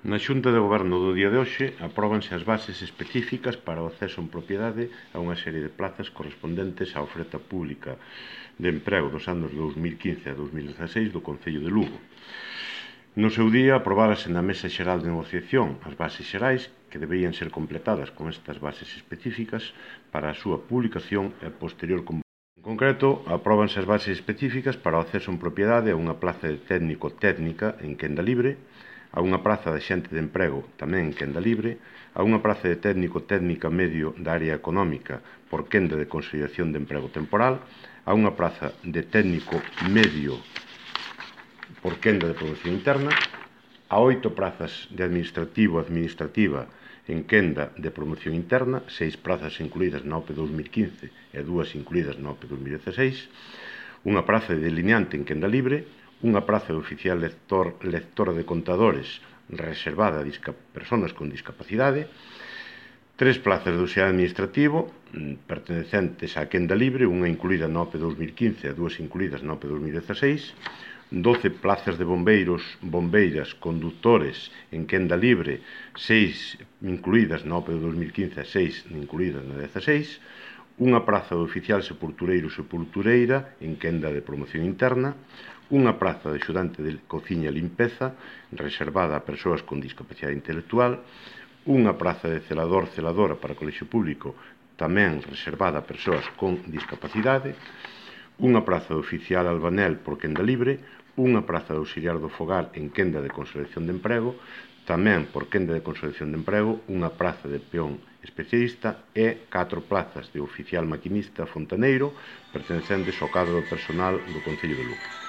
Na Xunta de Goberno do día de hoxe apróbanse as bases específicas para o acceso en propiedade a unha serie de plazas correspondentes á oferta pública de emprego dos anos 2015 a 2016 do Concello de Lugo. No seu día aprobárase na Mesa Xeral de Negociación as bases xerais que deberían ser completadas con estas bases específicas para a súa publicación e posterior convocatoria. En concreto, apróbanse as bases específicas para o acceso en propiedade a unha plaza de técnico-técnica en quenda libre, a unha praza de xente de emprego tamén en quenda libre, a unha praza de técnico-técnica medio da área económica por quenda de consolidación de emprego temporal, a unha praza de técnico medio por quenda de promoción interna, a 8 prazas de administrativa en quenda de promoción interna, 6 prazas incluídas na OPE 2015 e 2 incluídas na OPE 2016, unha praza de delineante en quenda libre, unha praza de oficial lectora de contadores reservada a persoas con discapacidade, 3 plazas de auxiliar administrativo pertenecentes á quenda libre, unha incluída na OPE 2015 e 2 incluídas na OPE 2016, 12 plazas de bombeiras, conductores en quenda libre, 6 incluídas na OPE de 2015 e 6 incluídas na 16, unha praza de oficial sepultureiro sepultureira en quenda de promoción interna, unha praza de axudante de cociña e limpeza reservada a persoas con discapacidade intelectual, unha praza de celadora para colexio público tamén reservada a persoas con discapacidade, unha praza de oficial albanel por quenda libre, unha praza de auxiliar do fogar en quenda de consolidación de emprego, tamén por quenda de consolidación de emprego, unha praza de peón especialista e 4 plazas de oficial maquinista fontaneiro pertencentes ao cadro personal do Concello de Lugo.